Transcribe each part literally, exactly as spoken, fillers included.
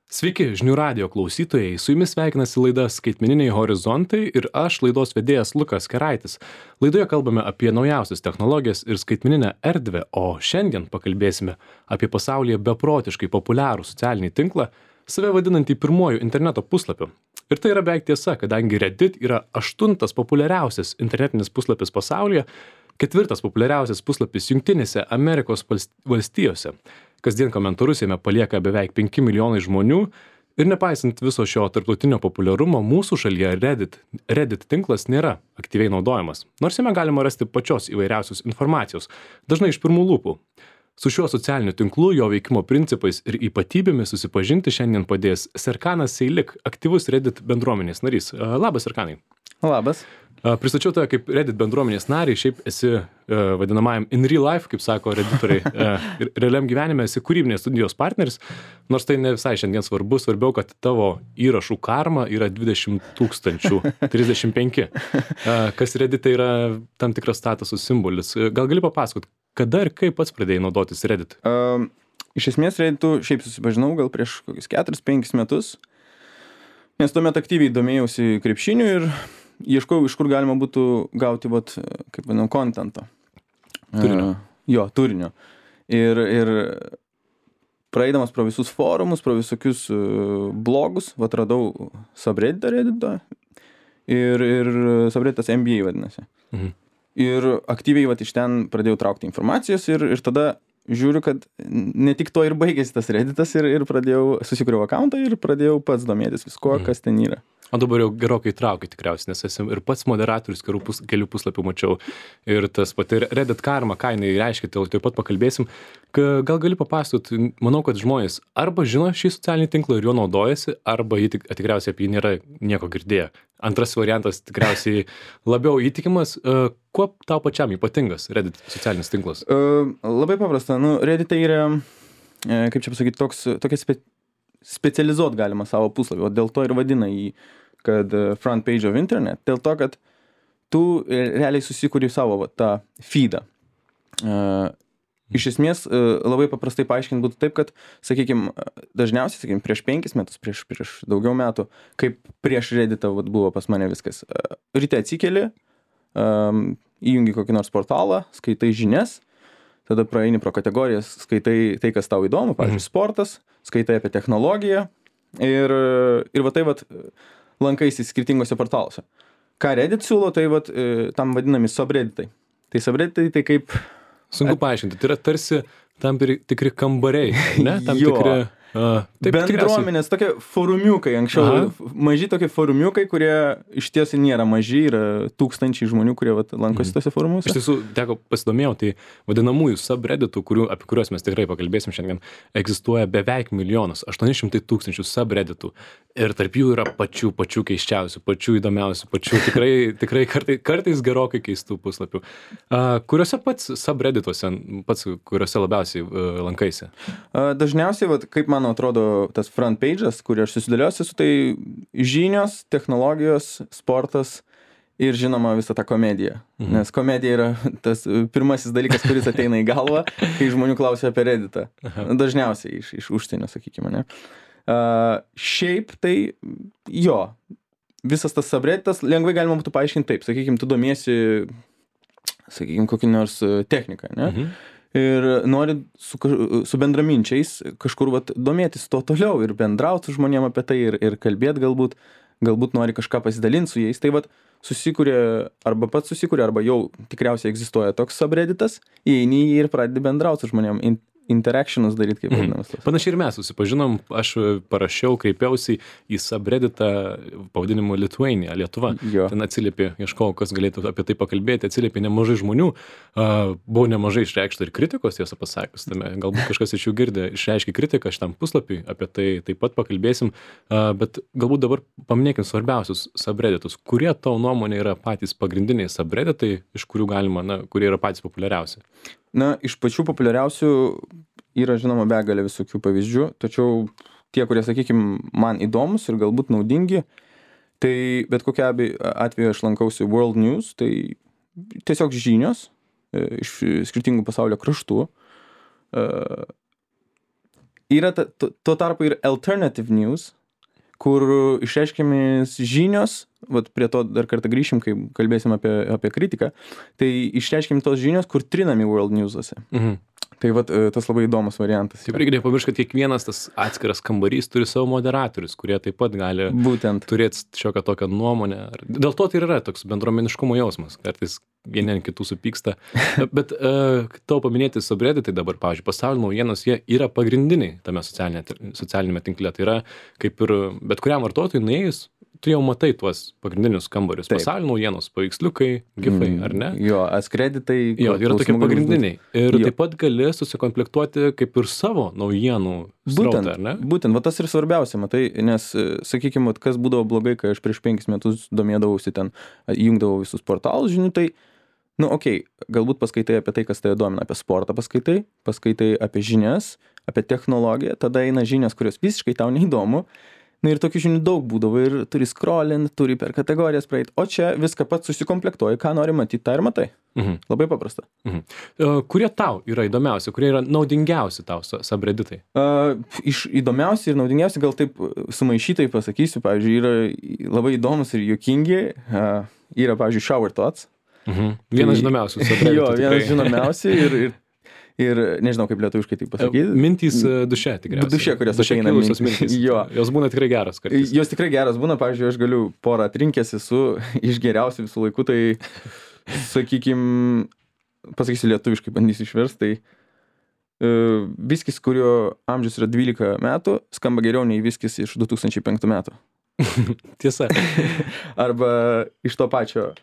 Sveiki, žinių radijo klausytojai, su jumis sveikinasi laida Skaitmeniniai horizontai ir aš, laidos vedėjas Lukas Keraitis. Laidoje kalbame apie naujausias technologijas ir skaitmeninę erdvę, o šiandien pakalbėsime apie pasaulyje beprotiškai populiarų socialinį tinklą, save vadinantį pirmuoju interneto puslapiu. Ir tai yra beveik tiesa, kadangi Reddit yra aštuntas populiariausias internetinis puslapis pasaulyje, ketvirtas populiariausias puslapis Jungtinėse Amerikos valstijose. Kasdien komentarus jame palieka beveik penki milijonai žmonių ir nepaisant viso šio tarptautinio populiarumo, mūsų šalyje Reddit, Reddit tinklas nėra aktyviai naudojamas, nors jame galima rasti pačios įvairiausios informacijos, dažnai iš pirmų lūpų. Su šiuo socialiniu tinklu, jo veikimo principais ir ypatybėmis susipažinti šiandien padės Serkanas Seilik, aktyvus Reddit bendruomenės narys. Labas, Serkanai. Labas. Pristačiau tave kaip Reddit bendruomenės narį, šiaip esi uh, vadinamajam in real life, kaip sako redditoriai, uh, realiam gyvenime esi kūrybinės studijos partneris, nors tai ne visai šiandien svarbu, svarbiau, kad tavo įrašų karma yra dvidešimt tūkstančių, trisdešimt penki, uh, kas Reddit yra tam tikras statusų simbolis. Gal gali papasakot, kada ir kaip pats pradėjai naudotis Reddit? Um, iš esmės Redditu šiaip susipažinau gal prieš kokius keturis penkis metus, nes tuomet aktyviai domėjausi krepšiniu ir ieškojau, iš kur galima būtų gauti, vat, kaip vadinam, kontento. Turinio. Uh, jo, turinio. Ir, ir praeidamas pro visus forumus, pro visokius uh, blogus, vat radau subredditą Redditą ir, ir subredditas N B A vadinasi. Mhm. Ir aktyviai vat iš ten pradėjau traukti informacijos ir, ir tada žiūriu, kad ne tik to ir baigėsi tas Redditas ir, ir pradėjau, susikūriau akauntą ir pradėjau pats domėtis visko, mhm. kas ten yra. O dabar jau gerokai traukia tikriausiai, nes esi ir pats moderatorius kelių, pus, kelių puslapių mačiau. Ir tas pati Reddit karma, ką jinai reiškia, tai taip pat pakalbėsim. Gal gali papasakot, manau, kad žmonės arba žino šį socialinį tinklą ir juo naudojasi, arba jį tik, tikriausiai apie jį nėra nieko girdėję. Antras variantas tikriausiai labiau įtikimas. Kuo tau pačiam ypatingas Reddit socialinis tinklas? Uh, labai paprasta. Nu, Reddit yra, kaip čia pasakyti, toks, tokia spe, specializuot galima savo puslapį, o dėl to ir vadina jį, kad front page of internet, dėl to, kad tu realiai susikuri savo va, tą feedą. Uh, iš esmės, uh, labai paprastai paaiškinti būtų taip, kad, sakykime, dažniausiai, sakykime, prieš penkis metus, prieš, prieš daugiau metų, kaip prieš Redditą va, buvo pas mane viskas. Uh, ryte atsikeli, um, įjungi kokį nors portalą, skaitai žinias, tada praeini pro kategorijas, skaitai tai, kas tau įdomu, pavyzdžiui, sportas, skaitai apie technologiją ir, ir va tai va lankaisi skirtingose portaluose. Ką Reddit siūlo, tai va tam vadinami subredditai. Tai subredditai tai kaip... Sunku paaiškinti, tai yra tarsi tam tikri kambariai, ne? Tam jo. tikri... Uh, taip, bendruomenės, tokie forumiukai, anksčiau Aha. maži tokie forumiukai, kurie iš tiesų nėra maži, yra tūkstančiai žmonių, kurie vat, lankosi tose forumuose. Iš tiesų, teko pasidomėjau, tai vadinamųjų subredditų, kurių, apie kuriuos mes tikrai pakalbėsim šiandien, egzistuoja beveik milijonas, aštuoni šimtai tūkstančių subredditų ir tarp jų yra pačių, pačių keiščiausių, pačių įdomiausių, pačių tikrai, tikrai kartais, kartais gerokai keistų puslapių. Uh, kuriuose pats subreddituose, pats kuriuose labiausiai uh, lankaisi? Uh, dažniausiai, vat, kaip man man atrodo, tas front page'as, kurį aš susidėliosiu, su tai žinios, technologijos, sportas ir žinoma visą tą komediją. Mhm. Nes komedija yra tas pirmasis dalykas, kuris ateina į galvą, kai žmonių klausia apie Redditą. Aha. Dažniausiai iš, iš užsienio, sakykime, ne. Uh, šiaip tai jo, visas tas subredditas lengvai galima būtų paaiškinti taip. Sakykime, tu domiesi, sakykime, kokį nors techniką, ne. Mhm. Ir nori su, su bendraminčiais kažkur vat, domėtis to toliau ir bendrauti su žmonėm apie tai ir, ir kalbėti galbūt, galbūt nori kažką pasidalinti su jais. Tai vat susikūrė, arba pats susikūrė, arba jau tikriausiai egzistuoja toks subredditas, įeini jį ir pradedi bendrauti su žmonėm, in, interactionus daryti, kaip vadinamas. Mm. Panašiai ir mes susipažinom, aš parašiau, kreipiausi į subredditą pavadinimu Lithuania, Lietuva. Jo. Ten atsiliepė, ieškojau, kas galėtų apie tai pakalbėti, atsiliepė nemažai žmonių. Uh, buvo nemažai išreikšta ir kritikos, tiesą pasakius, tame galbūt kažkas iš jų girdė, išreiškė kritiką šitam puslapiui, apie tai taip pat pakalbėsim, uh, bet galbūt dabar paminėkim svarbiausius subredditus, kurie tavo nuomonė yra patys pagrindiniai subredditai, iš kurių galima, na, kurie yra patys populiariausi. Na, iš pačių populiariausių yra, žinoma, begalė visokių pavyzdžių, tačiau tie, kurie, sakykime, man įdomus ir galbūt naudingi, tai bet kokia atveju aš lankausi World News, tai tiesiog žinios iš skirtingų pasaulio kraštų. yra ta, tuo, tuo tarpu ir alternative news, kur išreiškiamis žinios, vat prie to dar kartą grįšim, kai kalbėsim apie, apie kritiką, tai išreiškiami tos žinios, kur trinami world news'ose. Mhm. Tai vat tas labai įdomus variantas. Taip, reikia nepamiršti, kad kiekvienas tas atskiras kambarys turi savo moderatorius, kurie taip pat gali Būtent. turėti šiokią tokią nuomonę. Dėl to tai yra toks bendruomeniškumo jausmas. Kartais vieni ant kitų supyksta. Bet uh, tau paminėti subredditai dabar, pavyzdžiui, pasaulio naujienos, jie yra pagrindiniai tame socialinė, socialinėme tinkle. Tai yra kaip ir bet kuriam vartotojui nuėjus, tu jau matai tuos pagrindinius kambarius. Taip. Pasaulio naujienos, paveiksliukai, gifai, ar ne? Jo, askreditai. Jo, yra tokie pagrindiniai. Ir Jo. taip pat gali susikomplektuoti kaip ir savo naujienų srautą, ar ne? Būtent, va tas ir svarbiausia, matai, nes, sakykime, kas būdavo blogai, kai aš prieš penkis metus domėdavausi ten, įjungdavau visus portalus žinių, tai, nu, okei, okay, galbūt paskaitai apie tai, kas tave domina, apie sportą paskaitai, paskaitai apie žinias, apie technologiją, tada eina žinias, kurios visiškai tau neįdomu. Na ir tokių žinių daug būdavo ir turi scrollint, turi per kategorijas praeit, o čia viską pats susikomplektuoji, ką nori matyti, tą ir matai. Mhm. Labai paprasta. Mhm. Uh, kurie tau yra įdomiausi, kurie yra naudingiausi tau subredditai? Uh, iš įdomiausi ir naudingiausi, gal taip sumaišytai pasakysiu, pavyzdžiui, yra labai įdomus ir juokingi, uh, yra, pavyzdžiui, shower thoughts. Mhm. Vienas Tai- žinomiausių subredditų. Jo, vienas tikrai. žinomiausių ir, ir, ir nežinau, kaip lietuviškai tai pasakyti. Mintys uh, duše tikriausiai. Duše, kurios Duše ateina kilusios mintys. mintys. Jo. Jos būna tikrai geros kartais. Jos tikrai geras būna, pavyzdžiui, aš galiu porą atrinkęs esu iš geriausių visų laikų, tai, sakykim, pasakysiu lietuviškai, bandysiu išversti, tai uh, viskis, kurio amžius yra dvylika metų, skamba geriau nei viskis iš du tūkstančiai penktų metų. Tiesa. Arba iš to pačio,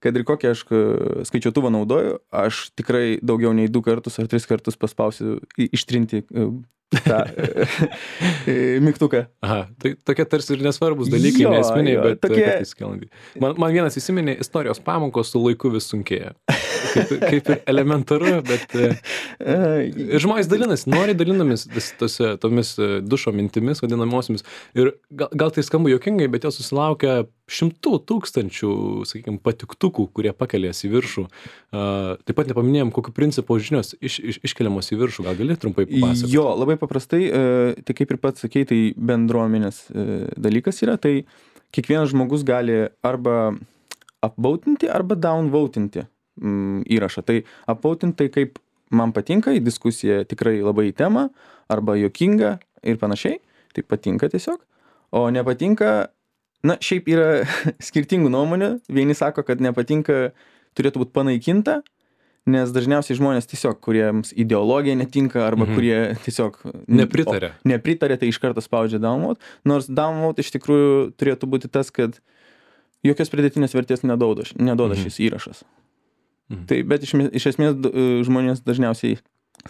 kad ir kokią aš e, skaičiuotuvą naudoju, aš tikrai daugiau nei du kartus ar tris kartus paspausiu i- ištrinti e, tą e, e, mygtuką. Aha, tai tokie tarsi ir nesvarbus dalykai, Jo, nesminiai, jo, bet tokie- kartais skelandi. Man, man vienas įsiminė, istorijos pamokos su laiku vis sunkėja. Kaip, kaip ir elementaru, bet e, E, ir žmonės dalinasi, nori dalinamis vis tose, tomis e, dušo mintimis vadinamosiomis. Ir gal, gal tai skamba juokingai, bet jos susilaukia šimtų tūkstančių, sakykime, patiktukų, kurie pakelės į viršų. Uh, taip pat nepaminėjom, kokiu principu žinios iš, iš, iškeliamos į viršų. Gal gali trumpai papasakoti? Jo, labai paprastai, e, tai kaip ir pats sakei, tai bendruomenės e, dalykas yra, tai kiekvienas žmogus gali arba upvotinti, arba downvotinti mm, įrašą. Tai upvotinti tai kaip man patinka, į diskusiją tikrai labai į temą, arba juokinga ir panašiai, tai patinka tiesiog, o nepatinka, na, šiaip yra skirtingų nuomonių, vieni sako, kad nepatinka, turėtų būti panaikinta, nes dažniausiai žmonės tiesiog, kuriems ideologija netinka, arba Mhm. kurie tiesiog Nepritarė. o, nepritarė, tai iš karto spaudžia downvote, nors downvote iš tikrųjų turėtų būti tas, kad jokios pridėtinės vertės neduoda, neduoda Mhm. šis įrašas. Mhm. Tai, bet iš, iš esmės d- žmonės dažniausiai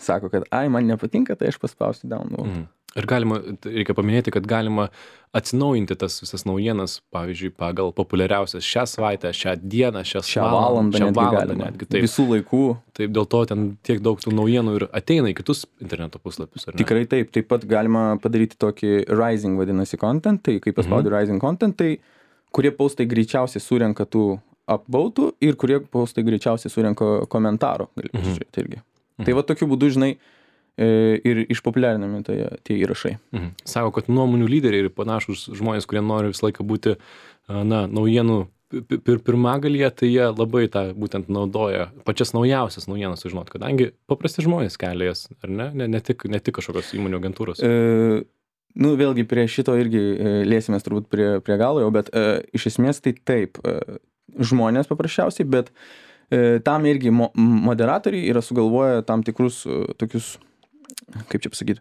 sako, kad ai, man nepatinka, tai aš paspausiu downvote. Mhm. Ir galima, reikia paminėti, kad galima atsinaujinti tas visas naujienas, pavyzdžiui, pagal populiariausias šią savaitę, šią dieną, šią, Šią valandą šią netgi valandą galima. netgi. Taip, Visų laikų. taip, dėl to ten tiek daug tų naujienų ir ateina į kitus interneto puslapius, ar ne? Tikrai taip. Taip pat galima padaryti tokį rising vadinasi content, tai kai paspaudi Mhm. rising content, tai kurie postai greičiausiai surenka tų upvotų ir kurie postai greičiausiai surenka komentarų. Gali Mhm. pasižiūrėti irgi. Mhm. Tai va tokiu būdu, žinai, e, ir išpopuliarinami tai, tie įrašai. Mhm. Sako, kad nuomonių lyderiai ir panašus žmonės, kurie nori visą laiką būti, a, na, naujienų pi- pir pirmagalyje, tai jie labai tą būtent naudoja, pačias naujausias naujienas sužinot, kadangi paprasti žmonės kelia jas, ar ne? Ne, ne, tik, ne tik kažkokios įmonių agentūros. E, nu, vėlgi prie šito irgi e, liesimės turbūt prie, prie galo jau, bet e, iš esmės tai taip, e, žmonės paprasčiausiai, bet e, tam irgi mo moderatoriai yra sugalvoję tam tikrus e, tokius, kaip čia pasakyti,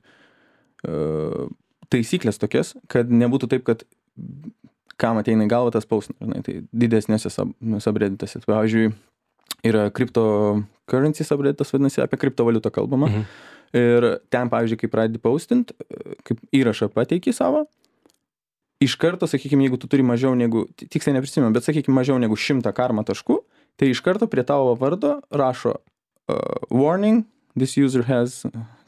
e, taisyklės tokias, kad nebūtų taip, kad kam ateina į galvą tas paustina, tai didesnėse sub subredditose. Pavyzdžiui, yra cryptocurrency subredditas, vadinasi, apie kriptovaliutą kalbama. Mhm. Ir ten, pavyzdžiui, kai pradedi paustint, kaip įrašą pateiki savo, iš karto, sakykime, jeigu tu turi mažiau negu, tiksliai neprisimenu, bet sakykime, mažiau negu šimtą karma taškų, tai iš karto prie tavo vardo rašo uh, warning, this user has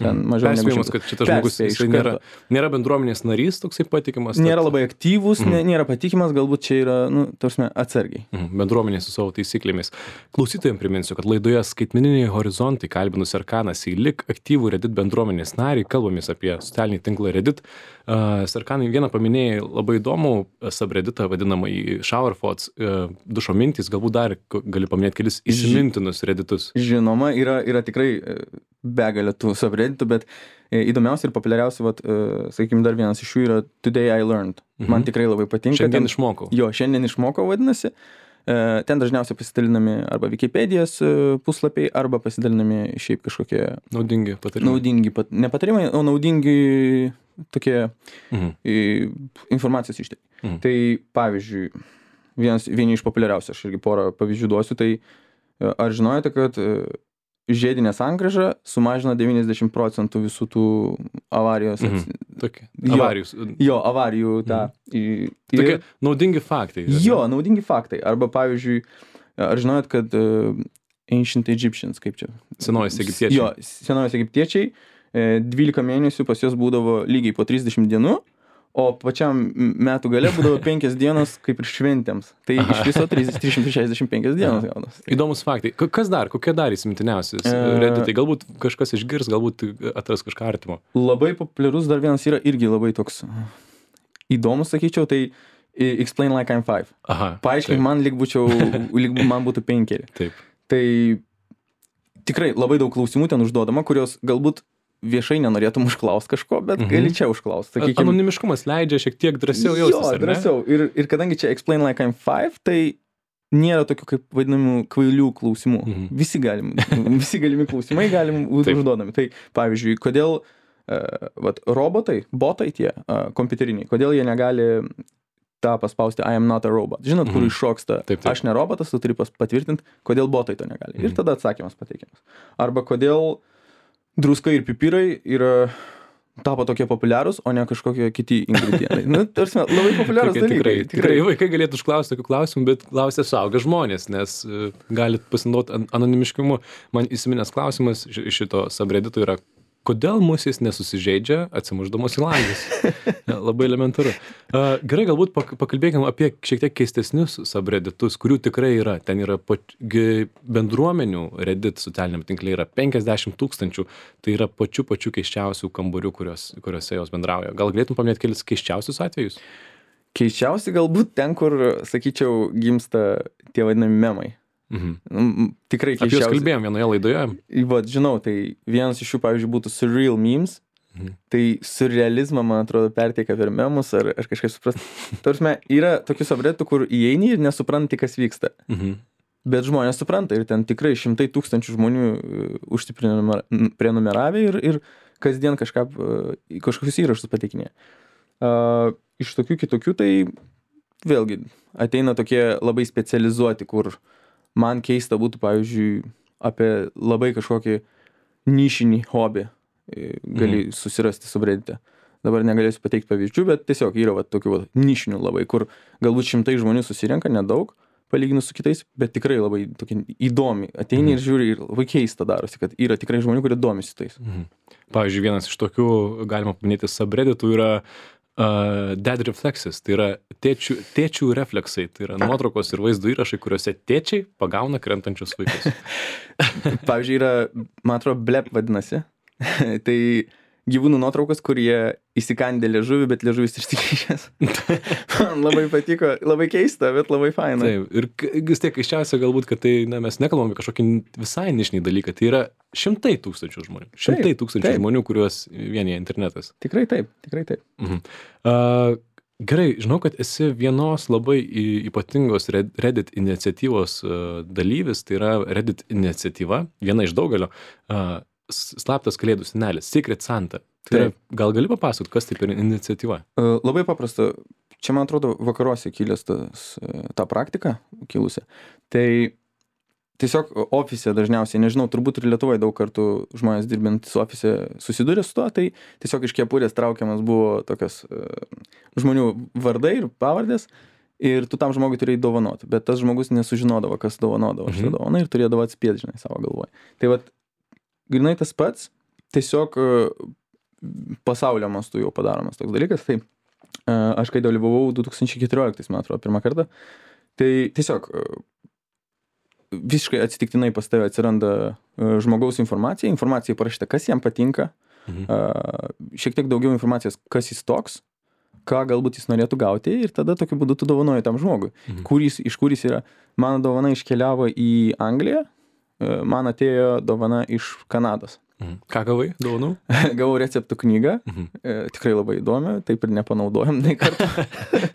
ten mažiau negu Perspėjimas, šimtas. kad šitas žmogus Perspėja iš jisai nėra, karto. nėra bendruomenės narys, toksai patikimas. Nėra tad- labai aktyvus, Mhm. nė- nėra patikimas, galbūt čia yra, nu, tarsi atsargiai. Mhm, bendruomenė su savo taisyklėmis. Klausytojams priminsiu, kad laidoje Skaitmeniniai horizontai kalbinu Serkaną Seilik, aktyvų Reddit bendruomenės narį, kalbamės apie socialinį tinklą Reddit. Uh, Serkanai, vieną paminėjai labai įdomų subredditą vadinamą į Shower Thoughts, uh, dušo mintys, galbūt dar k- gali paminėti kelis įsimintinus Redditus. Žinoma, yra, yra tikrai e, begalė tų subredditų, bet e, įdomiausia ir populiariausia, vat, e, sakykime, dar vienas iš jų yra Today I Learned. Mhm. Man tikrai labai patinka. Šiandien ten- išmokau. Jo, šiandien išmokau vadinasi. E, Ten dažniausiai pasidalinami arba Wikipedijos e, puslapiai, arba pasidalinami šiaip kažkokie Naudingi patarimai. naudingi, pat- ne patarimai, o naudingi tokie Mhm. e, informacijos ištekliai. Mhm. Tai pavyzdžiui, vienas, vieni iš populiariausių, aš irgi porą pavyzdžių duosiu, tai e, ar žinojote, kad e, žiedinė sankryža sumažina devyniasdešimt procentų visų tų avarijos, Mhm. ats- Tokie. Jo. Avarijus. jo, avarijų tą. Tai Ir- tokie naudingi faktai. ar ne? Jo, naudingi faktai. Arba pavyzdžiui, ar žinojot, kad uh, Ancient Egyptians, kaip čia? Senovės egiptiečiai. Jo, senovės egiptiečiai, e, dvylika mėnesių pas juos būdavo lygiai po trisdešimt dienų, o pačiam m- metų gale būdavo penkias dienos kaip ir šventėms. Tai iš viso trys šimtai šešiasdešimt penkios dienos gaunas. Įdomus faktai. K- Kas dar? Kokie dar įsimintiniausi E, Redditai? Galbūt kažkas išgirs, galbūt atras kažką artimo. Labai populiarus dar vienas yra irgi labai toks įdomus, sakyčiau, tai e, Explain Like I'm Five. Aha. Paaiškink taip, man, lyg būčiau, lyg man būtų penkeri. Taip. Tai tikrai labai daug klausimų ten užduodama, kurios galbūt viešai nenorėtum užklausti kažko, bet Mhm. gali čia užklausti. A- Anonimiškumas leidžia šiek tiek drąsiau jaustis, Jo, ar ne? drąsiau. Ir, ir kadangi čia Explain Like I'm Five, tai nėra tokių kaip vadinamų kvailių klausimų. Mhm. Visi, galim, visi galimi klausimai galim būti Taip. užduodami. Tai pavyzdžiui, kodėl uh, vat, robotai, botai tie uh, kompiuteriniai, kodėl jie negali tą paspausti I am not a robot. Žinot, kur Mhm. iššoksta, Taip, taip. aš ne robotas, tu turi pas- patvirtinti, kodėl botai to negali. Ir Mhm. tada atsakymas pateikiamas. Arba kodėl druska ir pipirai yra tapo tokie populiarūs, o ne kažkokie kiti ingredientai. Nu, tarsi, labai populiarūs Tokie dalykai. tikrai, tikrai vaikai galėtų užklausti tokių klausimų, bet klausia suaugę žmonės, nes uh, galit pasinaudoti an anonimiškumu. Man įsiminęs klausimas iš iš šito subreddito yra, kodėl musės nesusižeidžia atsimušdamos į langus? Ja, labai elementaru. Uh, gerai, galbūt pak pakalbėkime apie šiek tiek keistesnius subredditus, kurių tikrai yra. Ten yra pat, gi, bendruomenių Reddit socialiniam tinkle yra penkiasdešimt tūkstančių. Tai yra pačių pačių keiščiausių kambarių, kurios, kuriuose jos bendrauja. Gal galėtum paminėti kelis keiščiausius atvejus? Keiščiausi galbūt ten, kur, sakyčiau, gimsta tie vadinami memai. Mhm. Mm, Tikrai Apie juos keiščiausi. kalbėjom vienoje laidoje. Vat, žinau, tai vienas iš jų, pavyzdžiui, būtų surreal memes. Mhm. Tai surrealizmą, man atrodo, perteikia per memus ar, ar kažkaip suprast. Tarsi, yra tokių subredditų, kur įeini ir nesupranti, kas vyksta. Mhm. Bet žmonės supranta ir ten tikrai šimtai tūkstančių žmonių uh, užsiprenumeravę ir, ir kasdien kažką, uh, kažkokius įrašus pateikinė. Uh, iš tokių kitokių tai vėlgi ateina tokie labai specializuoti, kur man keista būtų, pavyzdžiui, apie labai kažkokį nišinį hobį e, gali Mhm. susirasti subreddite. Dabar negalėsiu pateikti pavyzdžių, bet tiesiog yra va, tokių va, nišinių labai, kur galbūt šimtai žmonių susirenka, nedaug, palyginus su kitais, bet tikrai labai tokie įdomi. Ateini Mhm. ir žiūri ir labai keista darosi, kad yra tikrai žmonių, kurie domisi tais. Mhm. Pavyzdžiui, vienas iš tokių, galima paminėti, subredditų yra uh, Dad Reflexes, tai yra tėčių, tėčių refleksai, tai yra nuotraukos ir vaizdo įrašai, kuriuose tėčiai pagauna krentančius vaikus. Pavyzdžiui, yra, man atrodo, blep vadinasi. Tai gyvūnų nuotraukos, kurie įsikandė liežuvį, bet liežuvis išsikišęs. Man labai patiko, labai keista, bet labai faina. Taip, ir k- vis tiek iščiausia galbūt, kad tai, na, mes nekalbame kažkokį visai nišinį dalyką, tai yra šimtai tūkstančių žmonių. Šimtai Taip, tūkstančių taip. žmonių, kuriuos vienyje internetas. Tikrai taip, tikrai taip. Mhm. Uh, gerai, žinau, kad esi vienos labai y- ypatingos Red- Reddit iniciatyvos uh, dalyvis, tai yra Reddit iniciatyva, viena iš daugelio, uh, s- slaptas kalėdų senelis, Secret Santa. Tai yra, Taip. gal gali papasakoti, kas tai per iniciatyva? Uh, Labai paprasta. Čia, man atrodo, vakaruose kilęs tas, uh, ta praktika kilusi. Tai tiesiog ofise dažniausiai, nežinau, turbūt ir Lietuvoje daug kartų žmonės dirbintys ofise susidūrė su tuo, tai tiesiog iš kepurės traukiamas buvo tokios uh, žmonių vardai ir pavardės ir tu tam žmogui turėjai dovanoti, bet tas žmogus nesužinodavo, kas dovanodavo Mhm. šitą dovaną ir turėdavo atspėti, žinai, savo galvoje. Tai vat, grinai tas pats, tiesiog e, pasaulio mastu jau padaromas toks dalykas. Tai e, aš kai dalyvavau du tūkstančiai keturioliktais, man atrodo, pirmą kartą, tai tiesiog e, visiškai atsitiktinai pas tave atsiranda e, žmogaus informacija, informacija parašyta, kas jam patinka, mhm. e, šiek tiek daugiau informacijos, kas jis toks, ką galbūt jis norėtų gauti ir tada tokiu būdu tu dovanoji tam žmogui. Mhm. Kur jis, iš kur jis yra. Mano dovana iškeliavo į Angliją, e, man atėjo dovana iš Kanados. Mhm. Ką gavai dovanų? Gavau receptų knygą, mhm. e, tikrai labai įdomi, taip ir nepanaudojom nei kartą.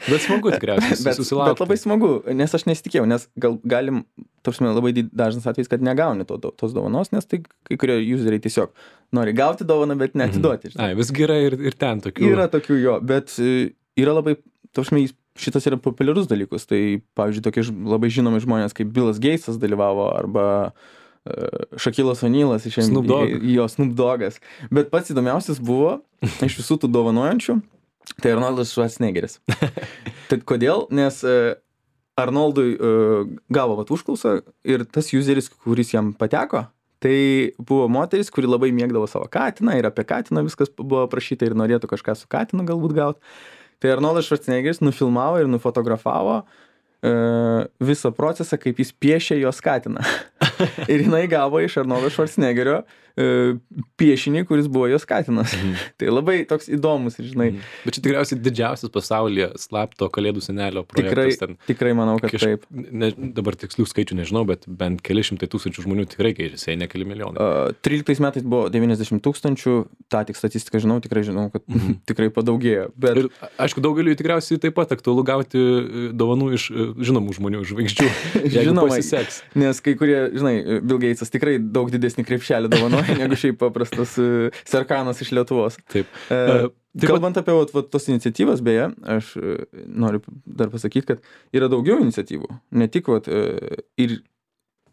Bet smagu tikriausiai bet, susilaukti. Bet labai smagu, nes aš nesitikėjau, nes gal, galim, tarsi labai dažnas atvejs, kad negauni to, to, tos dovanos, nes tai kai kurie useriai tiesiog nori gauti dovaną, bet neatiduoti. Mhm. Ai, visgi yra ir, ir ten tokių. Yra tokių jo, bet yra labai, tarsi šitas yra populiarus dalykus, tai pavyzdžiui tokie labai žinomi žmonės kaip Billas Gatesas dalyvavo arba Šakilas Onilas iš Snoop Dogg. jo Snoop Doggas. Bet pats įdomiausias buvo iš visų tų dovanojančių, tai Arnoldas Schwarzeneggeris. Tad kodėl? Nes Arnoldui gavo vat užklausą ir tas useris, kuris jam pateko, tai buvo moteris, kuri labai mėgdavo savo katiną ir apie katiną viskas buvo prašyta ir norėtų kažką su katinu galbūt gauti. Tai Arnoldas Schwarzeneggeris nufilmavo ir nufotografavo visą procesą, kaip jis piešė jos katiną. Ir jinai gavo iš Arnoldo Schwarzeneggerio piešinį, kuris buvo jos katinas. Mhm. Tai labai toks įdomus, žinai. Mhm. Bet čia tikriausiai didžiausias pasaulyje slapto kalėdų senelio projektas. Tikrai, ten. tikrai manau, kad Kaž... taip. Ne, dabar tikslių skaičių nežinau, bet bent keli šimtai tūkstančių žmonių tikrai keičiasi, ne keli milijonai. Uh, tryliktais metais buvo devyniasdešimt tūkstančių, tą tik statistiką žinau, tikrai žinau, kad mhm. tikrai padaugėjo. Bet... Ir aišku, daugeliu tikriausiai taip pat aktualu gauti dovanų iš žinomų žmonių, žvaigždžių, jeigu pasiseks. Nes kai kurie, žinai, Bill Gatesas tikrai daug didesnį krepšelį dovanoja negu šiaip paprastas uh, Serkanas iš Lietuvos. Taip. Uh, Taip Kalbant pat... apie vat, vat, tos iniciatyvas, beje, aš uh, noriu dar pasakyti, kad yra daugiau iniciatyvų. Ne tik, vat, uh, ir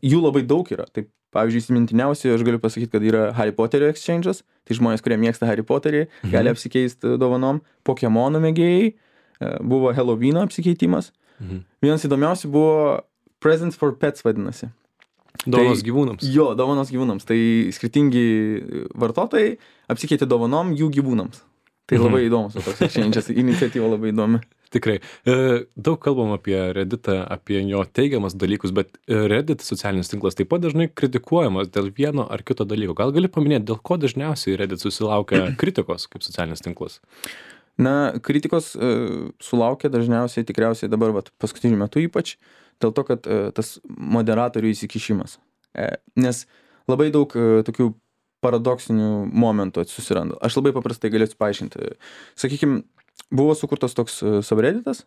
jų labai daug yra. Taip, pavyzdžiui, įsimintiniausiai aš galiu pasakyti, kad yra Harry Potterio exchange'as. Tai žmonės, kurie mėgsta Harry Potterį, mhm. gali apsikeisti dovanom. Pokemonų mėgėjai, uh, buvo Halloweeno apsikeitimas. Mhm. Vienas įdomiausių buvo Presents for Pets vadinasi. Dovanos tai, gyvūnams. Jo, dovanos gyvūnams. Tai skirtingi vartotojai apsikeitė dovanom jų gyvūnams. Tai labai mhm. įdomus, toks exchange'as, iniciatyva labai įdomi. Tikrai. E, daug kalbam apie Redditą, apie jo teigiamas dalykus, bet Reddit socialinis tinklas taip pat dažnai kritikuojamas dėl vieno ar kito dalyko. Gal gali paminėti, dėl ko dažniausiai Reddit susilaukia kritikos kaip socialinis tinklas? Na, kritikos e, sulaukia dažniausiai tikriausiai dabar, vat, paskutiniu metu ypač, dėl to, kad e, tas moderatorių įsikišimas. E, nes labai daug e, tokių paradoksinių momentų susiranda. Aš labai paprastai galėsiu paaiškinti. Sakykime, buvo sukurtas toks subredditas,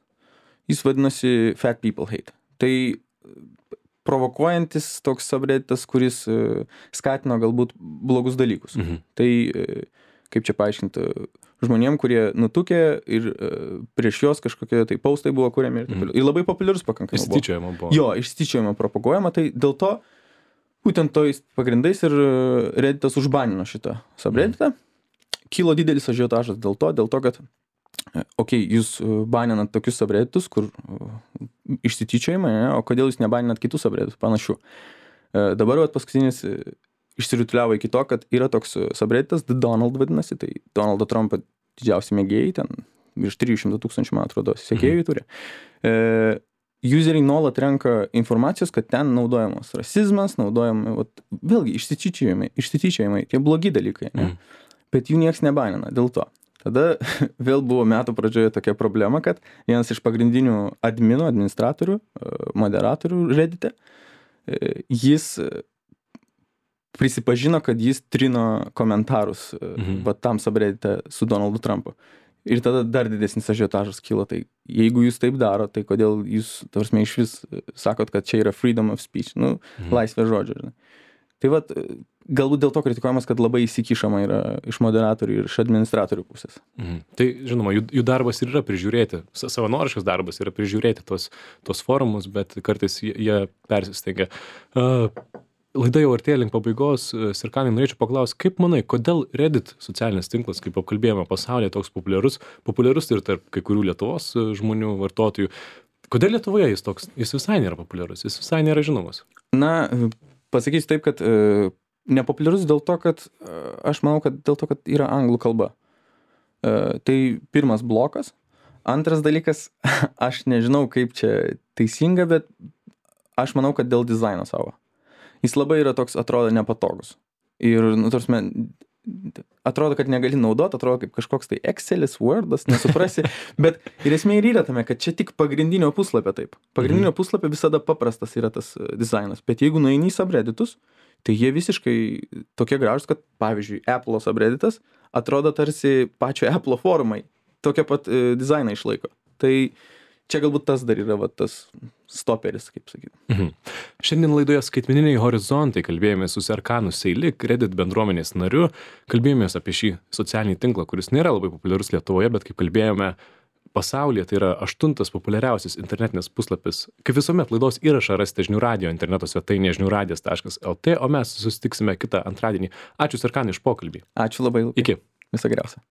jis vadinasi Fat People Hate. Tai provokuojantis toks subredditas, kuris e, skatino galbūt blogus dalykus. Mhm. Tai, e, kaip čia paaiškinti, žmonėm, kurie nutukė ir e, prieš juos kažkokie tai postai buvo kuriami ir taip toliau. Ir labai populiarus pakankamai buvo. Išsityčiojama buvo. Jo, išsityčiojama propaguojama, tai dėl to būtent tojais pagrindais ir Redditas užbanino šitą subredditą. Mm. Kilo didelis ažiotažas dėl to, dėl to, kad okei, okay, jūs baninat tokius subredditus, kur išsityčiojama, ne? O kodėl jūs nebaninat kitų subredditų panašių. E, dabar vat, paskutinis išsirutuliavo iki to, kad yra toks subredditas, The Donald vadinasi, tai Donaldo Trumpo didžiausi mėgėjai, ten virš trijų šimtų tūkstančių, man atrodo, sekėjų mm. turi. E, Useriai nuolat renka informacijos, kad ten naudojamas rasizmas, naudojami, vat, vėlgi, išsityčiojimai, išsityčiojimai, tie blogi dalykai, ne? Mm. Bet jų nieks nebanina dėl to. Tada vėl buvo metų pradžioje tokia problema, kad vienas iš pagrindinių adminų, administratorių, moderatorių Reddite, jis prisipažino, kad jis trino komentarus mm. va, tam subreddite su Donaldu Trumpu. Ir tada dar didesnis ažiotažas kilo. Tai jeigu jūs taip daro, tai kodėl jūs, tarsi, iš vis sakot, kad čia yra freedom of speech, nu, mhm. laisvė žodžio. Žinai. Tai vat, galbūt dėl to kritikuojamas, kad labai įsikišama yra iš moderatorių ir iš administratorių pusės. Mhm. Tai, žinoma, jų, jų darbas ir yra prižiūrėti, savanoriškas darbas yra prižiūrėti tos, tos forumus, bet kartais jie, jie persistengia. Uh, Laida jau artėja link pabaigos. Serkanai, norėčiau paklausti, kaip manai, kodėl Reddit socialinis tinklas, kaip apkalbėjome pasaulyje, toks populiarus, populiarus ir tarp kai kurių Lietuvos žmonių, vartotojų. Kodėl Lietuvoje jis toks, jis visai nėra populiarus, jis visai nėra žinomas? Na, pasakysiu taip, kad e, nepopuliarus dėl to, kad aš manau, kad dėl to, kad yra anglų kalba. Tai pirmas blokas. Antras dalykas, aš nežinau, kaip čia teisinga, bet aš manau, kad dėl dizaino savo. Jis labai yra toks, atrodo, nepatogus. Ir, nu, tarsi, atrodo, kad negali naudoti, atrodo kaip kažkoks tai Excelis, Wordas, nesuprasi. Bet ir esmė ir yra tame, kad čia tik pagrindinio puslapio taip. Pagrindinio mhm. puslapio visada paprastas yra tas dizainas. Bet jeigu nueini į subredditus, tai jie visiškai tokie gražus, kad, pavyzdžiui, Apple subredditas atrodo tarsi pačio Apple formai. Tokia pat e, dizainą išlaiko. Tai čia galbūt tas dar yra va, tas stoperis, kaip sakyti. Mhm. Šiandien laidoje Skaitmeniniai horizontai kalbėjome su Serkanu Seilik, Reddit bendruomenės nariu. Kalbėjomės apie šį socialinį tinklą, kuris nėra labai populiarus Lietuvoje, bet kaip kalbėjome, pasaulyje tai yra aštuntas populiariausias internetinės puslapis. Kaip visuomet, laidos įrašą rasite žinių radijo interneto svetainėje žinių radijas taškas lt, o mes susitiksime kitą antradienį. Ačiū Serkanai už pokalbį. Ačiū labai. Iki. Viso geriausio.